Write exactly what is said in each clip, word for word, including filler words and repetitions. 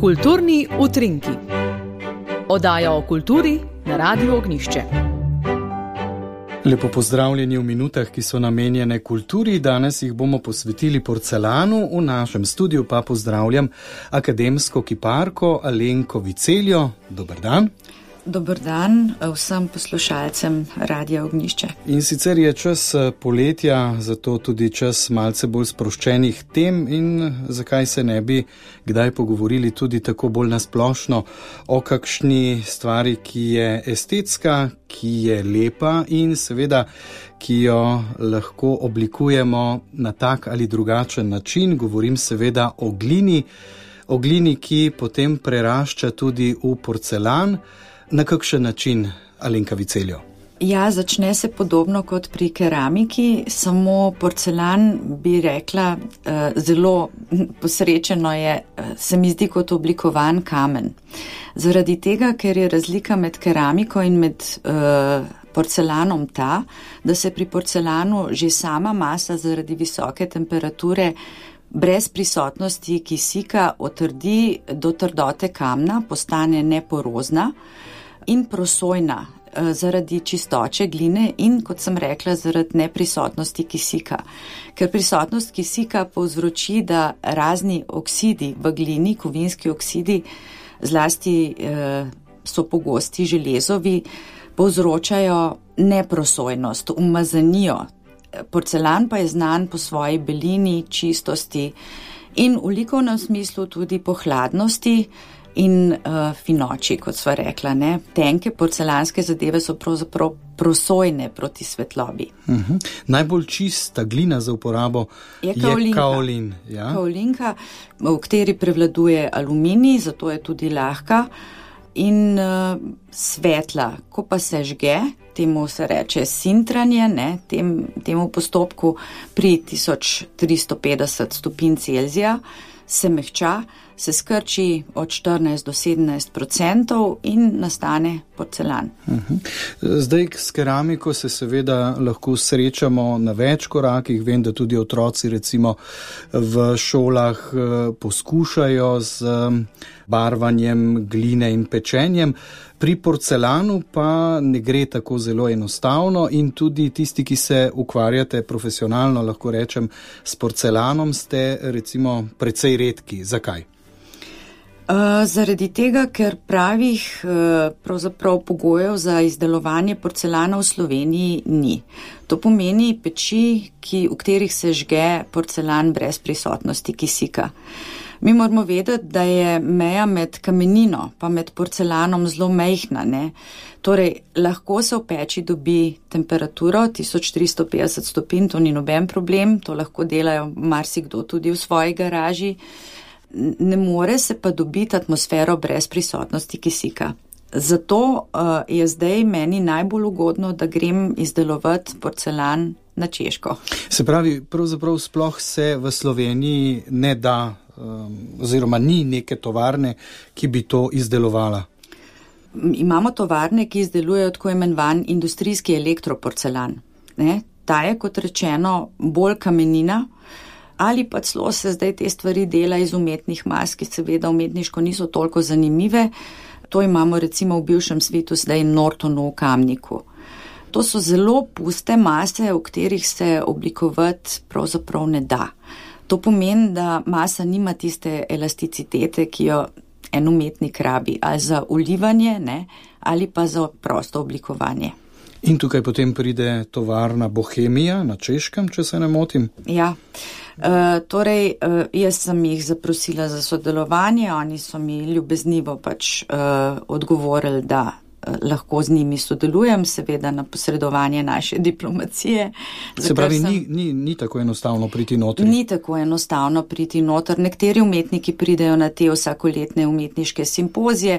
Kulturni utrinki. Oddaja o kulturi na Radiu Ognjišče. Lepo pozdravljeni v minutah, ki so namenjene kulturi. Danes jih bomo posvetili porcelanu. V našem studiu pa pozdravljam akademsko kiparko Alenko Viceljo. Dober dan. Dober dan vsem poslušalcem Radia Ognjišče. In sicer je čas poletja, zato tudi čas malce bolj sproščenih tem in zakaj se ne bi kdaj pogovorili tudi tako bolj nasplošno o kakšni stvari, ki je estetska, ki je lepa in seveda, ki jo lahko oblikujemo na tak ali drugačen način. Govorim seveda o glini, o glini, ki potem prerašča tudi v porcelan. Na kakšen način, Alenka Viceljo? Ja, začne se podobno kot pri keramiki, samo porcelan bi rekla, zelo posrečeno je, se mi zdi kot oblikovan kamen. Zaradi tega, ker je razlika med keramiko in med uh, porcelanom ta, da se pri porcelanu že sama masa zaradi visoke temperature brez prisotnosti kisika otrdi do trdote kamna, postane neporozna in prosojna zaradi čistoče gline in, kot sem rekla, zaradi neprisotnosti kisika. Ker prisotnost kisika povzroči, da razni oksidi v glini, kovinski oksidi, zlasti eh, so pogosti železovi, povzročajo neprosojnost, umazanijo. Porcelan pa je znan po svoji belini, čistosti in v likovnem smislu tudi po hladnosti in uh, finoči, kot sva rekla. Ne? Tenke porcelanske zadeve so pravzaprav prosojne proti svetlobi. Uh-huh. Najbolj čista glina za uporabo je, je kaolin. Ja? Kaolinka, v kateri prevladuje aluminij, zato je tudi lahka in uh, svetla. Ko pa se žge, temu se reče sintranje, ne, tem, temu postopku pri tisoč tristo petdeset stopinj Celzija se mehča, se skrči od štirinajst do sedemnajst procentov in nastane porcelan. Uh-huh. Zdaj s keramiko se seveda lahko srečamo na več korakih. Vem, da tudi otroci recimo v šolah poskušajo z barvanjem gline in pečenjem. Pri porcelanu pa ne gre tako zelo enostavno in tudi tisti, ki se ukvarjate profesionalno, lahko rečem, s porcelanom, ste recimo precej redki. Zakaj? Uh, zaradi tega, ker pravih uh, pravzaprav pogojev za izdelovanje porcelana v Sloveniji ni. To pomeni peči, ki, v katerih se žge porcelan brez prisotnosti kisika. Mi moramo vedeti, da je meja med kamenino pa med porcelanom zelo majhna. Ne? Torej, lahko se v peči dobi temperaturo tisoč tristo petdeset stopinj, to ni noben problem, to lahko delajo marsikdo tudi v svoji garaži. Ne more se pa dobiti atmosfero brez prisotnosti kisika. Zato uh, je zdaj meni najbolj ugodno, da grem izdelovati porcelan na Češko. Se pravi, pravzaprav sploh se v Sloveniji ne da, um, oziroma ni neke tovarne, ki bi to izdelovala? Imamo tovarne, ki izdelujejo tako imenovan industrijski elektroporcelan. Ne? Ta je, kot rečeno, bolj kamenina, ali pa celo se zdaj te stvari dela iz umetnih mas, ki seveda umetniško niso toliko zanimive. To imamo recimo v bivšem svetu zdaj Nortonu v Kamniku. To so zelo puste mase, v katerih se oblikovati pravzaprav ne da. To pomeni, da masa nima tiste elasticitete, ki jo en umetnik rabi, ali za ulivanje, ne, ali pa za prosto oblikovanje. In tukaj potem pride tovarna Bohemija na Češkem, če se ne motim? Ja, e, torej e, jaz sem jih zaprosila za sodelovanje, oni so mi ljubeznivo pač e, odgovorili, da e, lahko z njimi sodelujem, seveda na posredovanje naše diplomacije. Se pravi, sem, ni, ni, ni tako enostavno priti noter? Ni tako enostavno priti noter. Nekateri umetniki pridejo na te vsakoletne umetniške simpozije,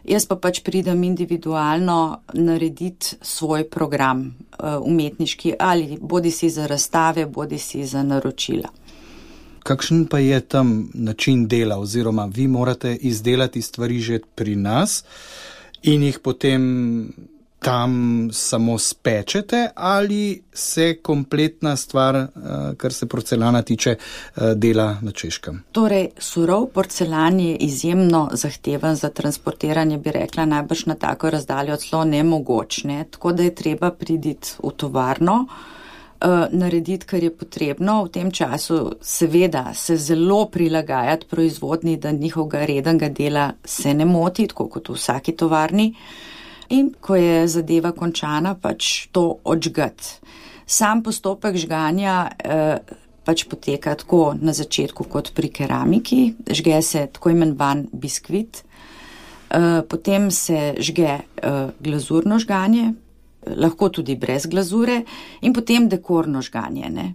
jaz pa pač pridem individualno narediti svoj program uh, umetniški ali bodi si za razstave, bodi si za naročila. Kakšen pa je tam način dela oziroma vi morate izdelati stvari že pri nas in jih potem tam samo spečete ali se kompletna stvar, kar se porcelana tiče, dela na Češkem? Torej, surov porcelan je izjemno zahteven za transportiranje, bi rekla, najbrž na tako razdaljo celo nemogoč, ne? Tako da je treba priditi v tovarno, narediti, kar je potrebno. V tem času seveda se zelo prilagajati proizvodni, da njihovega rednega dela se ne moti, tako kot v vsaki tovarni. In ko je zadeva končana, pač to odžgati. Sam postopek žganja eh, pač poteka tako na začetku kot pri keramiki. Žge se tako imenovan biskvit, eh, potem se žge eh, glazurno žganje, lahko tudi brez glazure, in potem dekorno žganje. Ne?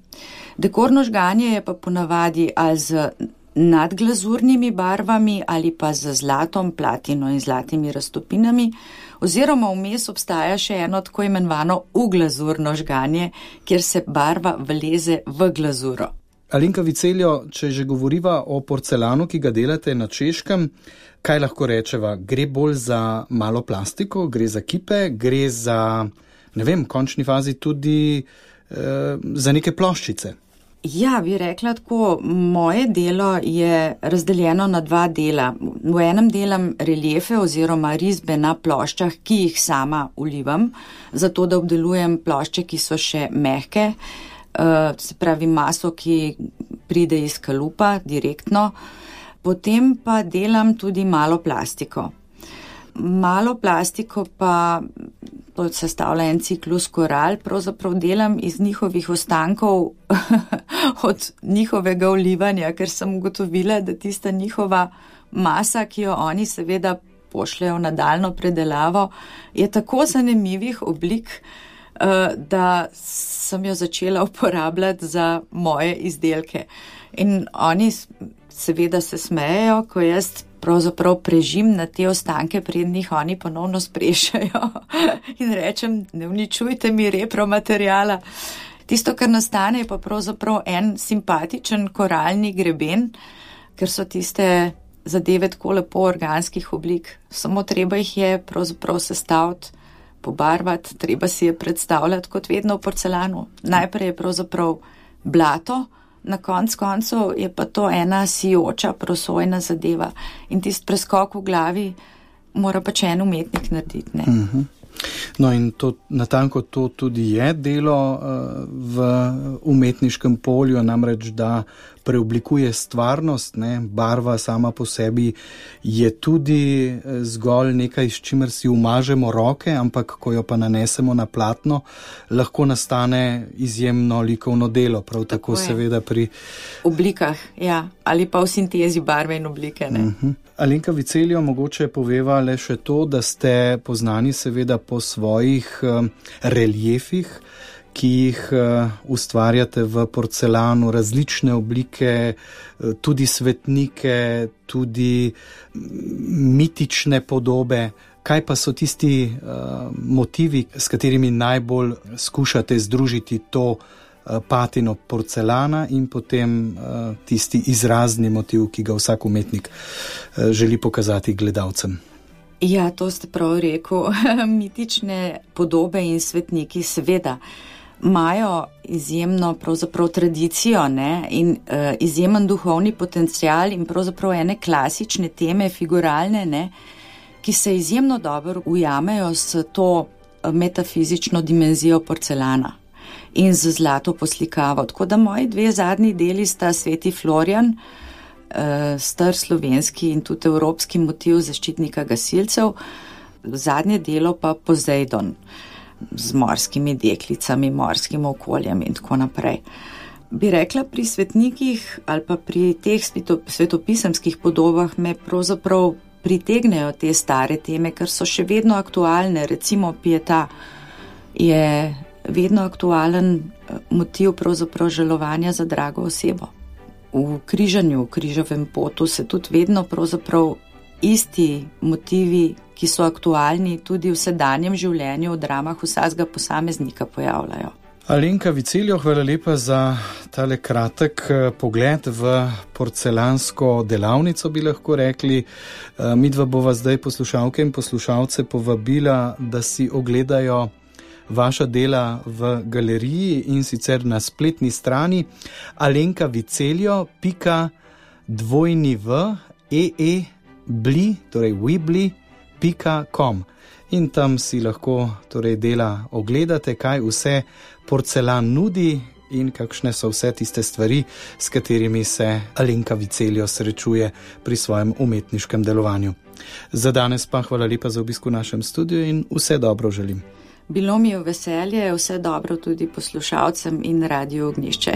Dekorno žganje je pa ponavadi ali z nadglazurnimi barvami ali pa z zlatom, platino in zlatimi raztopinami, oziroma vmes obstaja še eno tako imenovano uglazurno žganje, kjer se barva vleze v glazuro. Alenka Viceljo, če že govoriva o porcelanu, ki ga delate na Češkem, kaj lahko rečeva? Gre bolj za malo plastiko, gre za kipe, gre za, ne vem, v končni fazi tudi eh, za neke ploščice? Ja, bi rekla tako, moje delo je razdeljeno na dva dela. V enem delam reliefe oziroma risbe na ploščah, ki jih sama ulivam, zato da obdelujem plošče, ki so še mehke, se pravi maso, ki pride iz kalupa direktno. Potem pa delam tudi malo plastiko. Malo plastiko pa to sestavlja en ciklus koral, pravzaprav delam iz njihovih ostankov od njihovega olivanja, ker sem ugotovila, da tista njihova masa, ki jo oni seveda pošljajo v nadaljnjo predelavo, je tako zanimivih oblik, da sem jo začela uporabljati za moje izdelke. In oni seveda se smejejo, ko jaz pravzaprav prežim na te ostanke, preden jih oni ponovno sprešajo in rečem, ne uničujte mi repromateriala. Tisto, kar nastane, je pa pravzaprav en simpatičen koralni greben, ker so tiste zadeve tako lepo organskih oblik. Samo treba jih je pravzaprav sestaviti, pobarvati, treba si je predstavljati kot vedno v porcelanu. Najprej je pravzaprav blato, na konc koncev je pa to ena sijoča, prosojna zadeva. In tist preskok v glavi mora pač en umetnik narediti. Ne? Uh-huh. No in to, natanko to tudi je delo uh, v umetniškem polju, namreč da preoblikuje stvarnost, ne? Barva sama po sebi je tudi zgolj nekaj, s čimer si umažemo roke, ampak ko jo pa nanesemo na platno, lahko nastane izjemno likovno delo, prav tako, tako seveda pri oblikah, ja, ali pa v sintezi barve in oblike. Ne? Uh-huh. Alenka Viceljo, mogoče poveva le še to, da ste poznani seveda po svojih uh, reliefih, ki jih uh, ustvarjate v porcelanu, različne oblike, uh, tudi svetnike, tudi mitične podobe. Kaj pa so tisti uh, motivi, s katerimi najbolj skušate združiti to uh, patino porcelana in potem uh, tisti izrazni motiv, ki ga vsak umetnik uh, želi pokazati gledalcem? Ja, to ste prav rekel. Mitične podobe in svetniki seveda imajo izjemno pravzaprav tradicijo, ne, in uh, izjemen duhovni potencial in pravzaprav ene klasične teme, figuralne, ne, ki se izjemno dobro ujamejo s to metafizično dimenzijo porcelana in z zlato poslikavo. Tako da moji dve zadnji deli sta Sveti Florjan, uh, star slovenski in tudi evropski motiv zaščitnika gasilcev, zadnje delo pa Pozejdon, z morskimi deklicami, morskim okoljem in tako naprej. Bi rekla, pri svetnikih ali pa pri teh svetopisemskih podobah me pravzaprav pritegnejo te stare teme, ker so še vedno aktualne. Recimo Pieta je vedno aktualen motiv pravzaprav žalovanja za drago osebo. V križanju, v križovem potu se tudi vedno pravzaprav isti motivi, ki so aktualni tudi v sedanjem življenju, v dramah vsakega posameznika pojavljajo. Alenka Viceljo, hvala lepa za tale kratek pogled v porcelansko delavnico, bi lahko rekli. Midva bova zdaj poslušalke in poslušalce povabila, da si ogledajo vaša dela v galeriji in sicer na spletni strani alenkaviceljo pika ee-bli, torej webli pika com. In tam si lahko torej dela ogledate, kaj vse porcelan nudi in kakšne so vse tiste stvari, s katerimi se Alenka Viceljo srečuje pri svojem umetniškem delovanju. Za danes pa hvala lepa za obisk v našem studiu in vse dobro želim. Bilo mi je veselje, vse dobro tudi poslušalcem in Radio Ognjišče.